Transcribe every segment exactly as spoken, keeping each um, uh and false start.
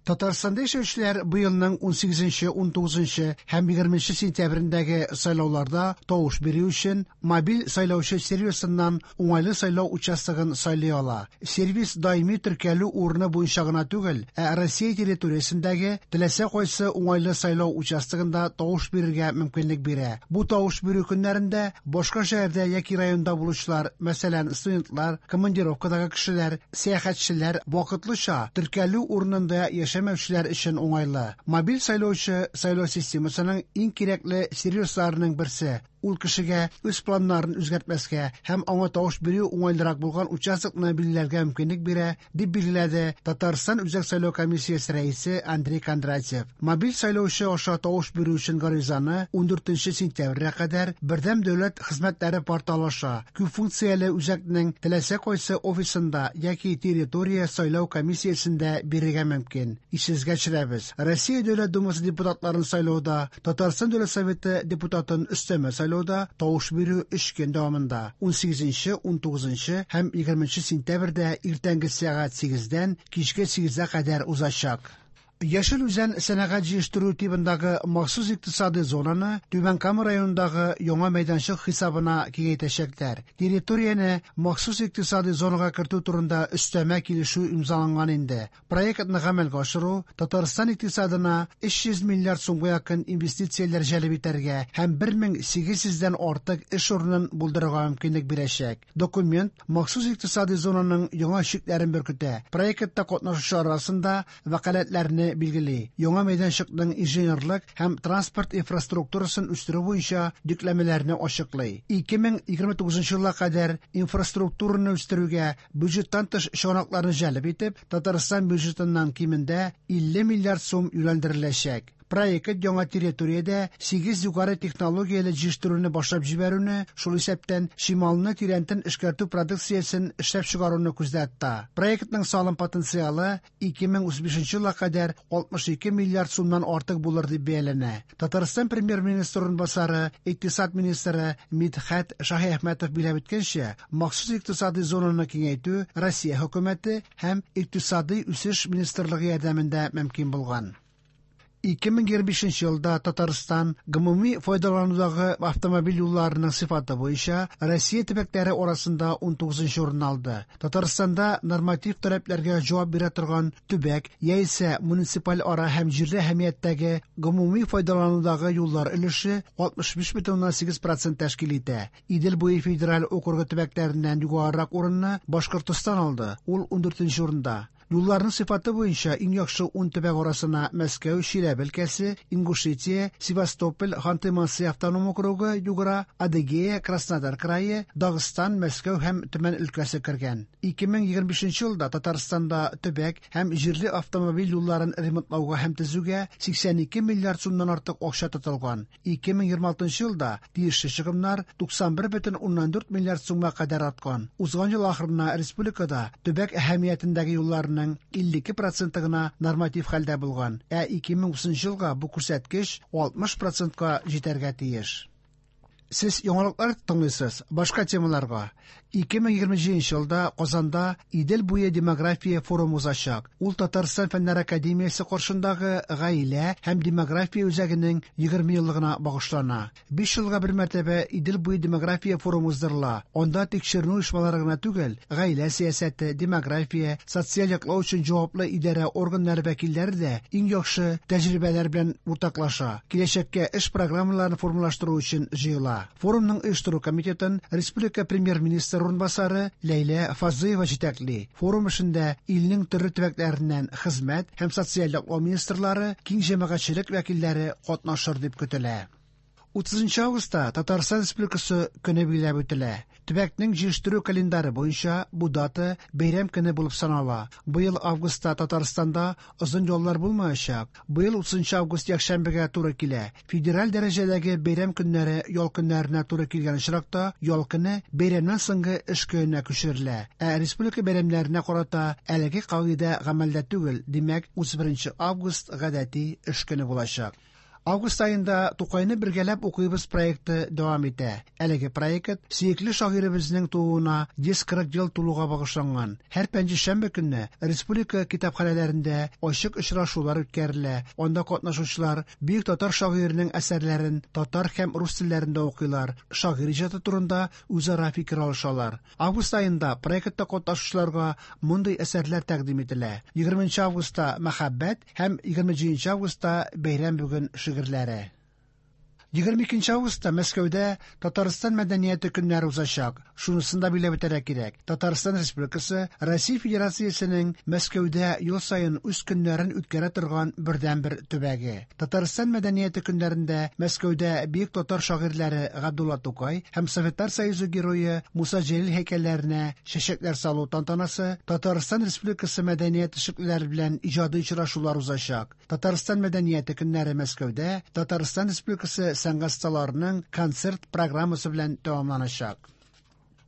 Татарстанда яшәүчеләр быелның унсигезенче, унтугызынчы һәм егерменче сентябрендәге сайлауларда тавыш бирү өчен мобиль сайлаучы сервисыннан уңайлы сайлау участогын сайлый ала. Сервис даими теркәлү урыны буенча гына түгел, ә Россия территориясендәге теләсә кайсы уңайлы сайлау участогында тавыш бирергә мөмкинлек бирә. Бу тавыш бирү көннәрендә башка шәһәрдә яки районда булучылар, мәсәлән, студентлар, командировкадагы кешеләр, сәяхәтчеләр, вакытлыча теркәлү урынында яшәмәүчеләр өчен уңайлы. Мобиль сайлаучы сайлау системасының иң кирәкле сервисларының берсе. Ул кешегә үз планнарын үзгәртмәскә һәм аңа тавыш бирү уңайлырак булган участокны билгеләргә мөмкинлек бирә, дип билгеләде Татарстан Үзәк сайлау комиссиясе рәисе Андрей Кондратьев. Мобиль сайлаучы аша тавыш бирү өчен гаризаны ундүртенче сентябрьгә кадәр Бердәм дәүләт хезмәтләре порталы аша күп функцияле үзәкнең теләсә кайсы офисында яки территория сайлау комиссиясендә бирергә мөмкин. Исегезгә төшерәбез. Россия Дәүләт Думасы депутатларын сайлауда Татарстан Дәүләт Советы депутатын өстәмә сайлауда тавыш бирү өч көн дәвамында унсигезенче, унтугызынчы һәм егерменче сентябрьдә иртәнге сәгать сигездән кичке сигезгә кадәр узачак. Яшел Үзән сәнәгать җыештыру тибындагы махсус икътисади зонаны Түбән Кама районындагы яңа мәйданчык хисабына киңәйтәчәкләр. Территорияне махсус икътисади зонага кертү турында өстәмә килешү имзаланган инде. Проектны гамәлгә ашыру Татарстан икътисадына өч йөз миллиард сумга якын инвестицияләр җәлеп итәргә һәм бер мең сигез йөздән артык эш урынын булдырырга мөмкинлек бирәчәк. Документ махсус икътисади зонаның яңа чикләрен беркетә. Проектта катнашучылар арасында вәкаләтләрне билгели. Яңа мәйданчыкның инженерлык һәм транспорт инфраструктурасын үстерү буенча йөкләмәләрне ачыклый. Ике мең егерме тугызынчы елга кадәр инфраструктураны үстерүгә бюджеттан тыш чыганакларны җәлеп итеп, Татарстан бюджетыннан кимендә илле миллиард сум юнәлдереләчәк. Проект яңа территориядә сигез югары технологияле җыештыруны башлап җибәрүне, шул исәптән чималны тирәнтен эшкәртү продукциясен эшләп чыгаруны күздә тота. Проектның салым потенциалы ике мең утыз бишенче елга кадәр алтмыш ике миллиард сумнан артык булыр дип бәяләнә. Татарстан премьер-министры урынбасары, икътисад министры Мидхәт Шаһиәхмәтов билгеләп үткәнчә, махсус икътисади зонаны киңәйтү Россия хөкүмәте һәм Икътисади үсеш министрлыгы ярдәмендә мөмкин булган. Ике мең егерме бишенче елда Татарстан гомуми файдаланудагы автомобиль юлларының сыйфаты буенча Россия төбәкләре арасында унтугызынчы урын алды. Татарстанда норматив таләпләргә җавап бирә торган төбәк яисә муниципаль ара һәм җирле әһәмияттәге гомуми файдаланудагы юллар өлеше алтмыш биш бөтен уннан сигез процент тәшкил итә. Идел буе федераль округы төбәкләреннән югарырак урынны Башкортостан алды, ул ундүртенче урында. Юлларның сыйфаты буенча иң яхшы ун төбәк арасына Мәскәү, Чиләбе өлкәсе, Ингушетия, Севастополь, Ханты-Манси автоном округы, Югра, Адыгея, Краснодар крае, Дагыстан, Мәскәү һәм Төмән өлкәсе кергән. Ике мең егерме бишенче елда Татарстанда төбәк һәм җирле автомобиль юлларын ремонтлауга һәм төзүгә сиксән ике миллиард сумнан артык акча тотылган. Ике мең егерме алтынчы елда тиешле чыгымнар туксан бер бөтен уннан дүрт миллиард сумга кадәр арткан. Узган ел ахырына республикада төбәк әһәмиятендәге юлларның илле ике проценты гына норматив хәлдә булган, ә ике мең утызынчы елга бу күрсәткеч алтмыш процентка җитәргә тиеш. Сез яңалыклар тыңлыйсыз. Башка темаларга. Ике мең егерме җиденче елда Казанда Идел буе демография форумы узачак. Ул Татарстан Фәннәр академиясе каршындагы гаилә һәм демография үзәгенең егерме еллыгына багышлана. Биш елга бер мәртәбә Идел буе демография форумы уздырыла. Анда тикшеренү оешмалары гына түгел, гаилә сәясәте, демография, социаль яклау өчен җаваплы идарә органнары вәкилләре дә иң яхшы тәҗрибәләр белән уртаклаша. Киләчәккә эш программаларын формалаштыру өчен җыела. Форумның оештыру комитетын республика премьер-министры урынбасары Ләйлә Фазлыева җитәкли. Форум эшендә илнең төрле төбәкләреннән хезмәт һәм социаль яклау министрлары, киң җәмәгатьчелек вәкилләре катнашыр дип көтелә. Утызынчы августта Татарстан Республикасы көне билгеләп үтелә. Төбәкнең җыештыру календары буенча бу дата бәйрәм көне булып санала. Быел августта Татарстанда озын яллар булмаячак. Быел утызынчы август якшәмбегә туры килә. Федераль дәрәҗәдәге бәйрәм көннәре ял көннәренә туры килгән очракта ял көне бәйрәмнән соңгы эш көненә күчерелә. Ә республика бәйрәмнәренә карата әлеге кагыйдә гамәлдә түгел. Димәк, утыз беренче август гадәти эш көне булачак. Август аенда Тукайны бергәләп укыйбыз проекты дәвам итә. Әлеге проект сөекле шагыйребезнең тууына йөз кырык ел тулуга багышланган. Һәр пәнҗешәмбе көнне республика китапханәләрендә ачык очрашулар үткәрелә. Анда катнашучылар бөек татар шагыйренең әсәрләрен татар һәм рус телләрендә укыйлар, шагыйрь иҗаты турында үзара фикер алышалар. Август аенда проектта катнашучыларга мондый әсәрләр тәкъдим ителә. Егерменче августта Мәхәббәт һәм егерме җиденче августта Бәйрәм бүген шигырьләре. Егерме икенче августта Мәскәүдә Татарстан мәдәнияте көннәре узачак. Шунысын да билгеләп үтәргә кирәк. Татарстан Республикасы Россия Федерациясенең Мәскәүдә ел саен үз көннәрен үткәрә торган бердәнбер төбәге. Татарстан мәдәнияте көннәрендә Мәскәүдә бөек татар шагыйрьләре Габдулла Тукай һәм Советлар Союзы герое Муса Җәлил һәйкәлләренә чәчәкләр салу тантанасы, Татарстан Республикасы мәдәният эшлеклеләре белән иҗади очрашулар узачак. Татарстан мәдәнияте көннәре Мәскәүдә Татарстан Республикасы сәнгать осталарының концерт программасы белән тәмамланачак.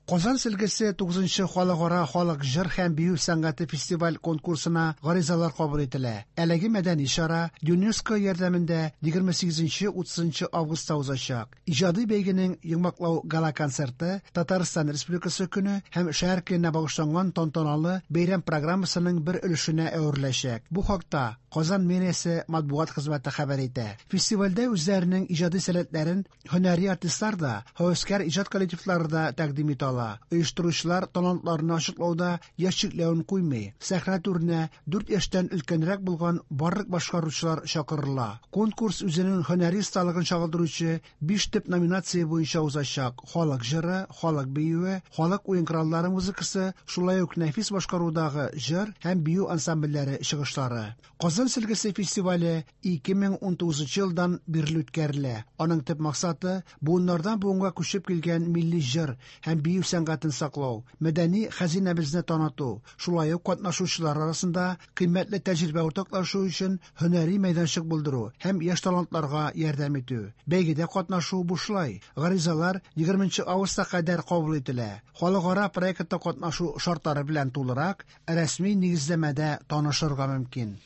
Казан сөлгесе тугызынчы халыкара халык җыр һәм бию сәнгате фестиваль конкурсына гаризалар кабул ителә. Әлеге мәдәни чара ЮНЕСКО ярдәмендә егерме сигезенче утызынчы августта узачак. Иҗади бәйгенең йомгаклау гала-концерты Татарстан Республикасы көне һәм шәһәр көненә багышланган тантаналы бәйрәм программасының бер өлешенә әвереләчәк. Бу хакта Казан мэриясе матбугат хезмәте хәбәр итә. Фестивальдә үзләренең иҗади сәләтләрен һөнәри артистлар да, һәвәскәр иҗат коллективлары да тәкъдим итә ала. Оештыручылар талантларны ачыклауда яшь чикләвен куймый. Сәхнә түренә дүрт яшьтән өлкәнрәк булган барлык башкаручылар чакырыла. Конкурс үзенең һөнәри осталыгын чагылдыручы биш төп номинация буенча узачак: халык җыры, халык биюе, халык уен кораллары музыкасы, шулай ук нәфис башкарудагы җыр һәм бию ансамбльләре чыгышлары. Казан сөлгесе фестивале ике мең ун тугызынчы елдан бирле үткәрелә. Аның төп максаты буыннардан буынга күчеп килгән милли җыр һәм бию сәнгатен саклау, мәдәни хәзинәбезне таныту, шулай ук катнашучылар арасында кыйммәтле тәҗрибә уртаклашу өчен һөнәри мәйданчык булдыру һәм яшь талантларга ярдәм итү. Бәйгедә катнашу бушлай. Гаризалар егерменче августка кадәр кабул ителә. Халыкара проектта катнашу шартлары белән тулырак рәсми нигезләмәдә танышырга мөмкин.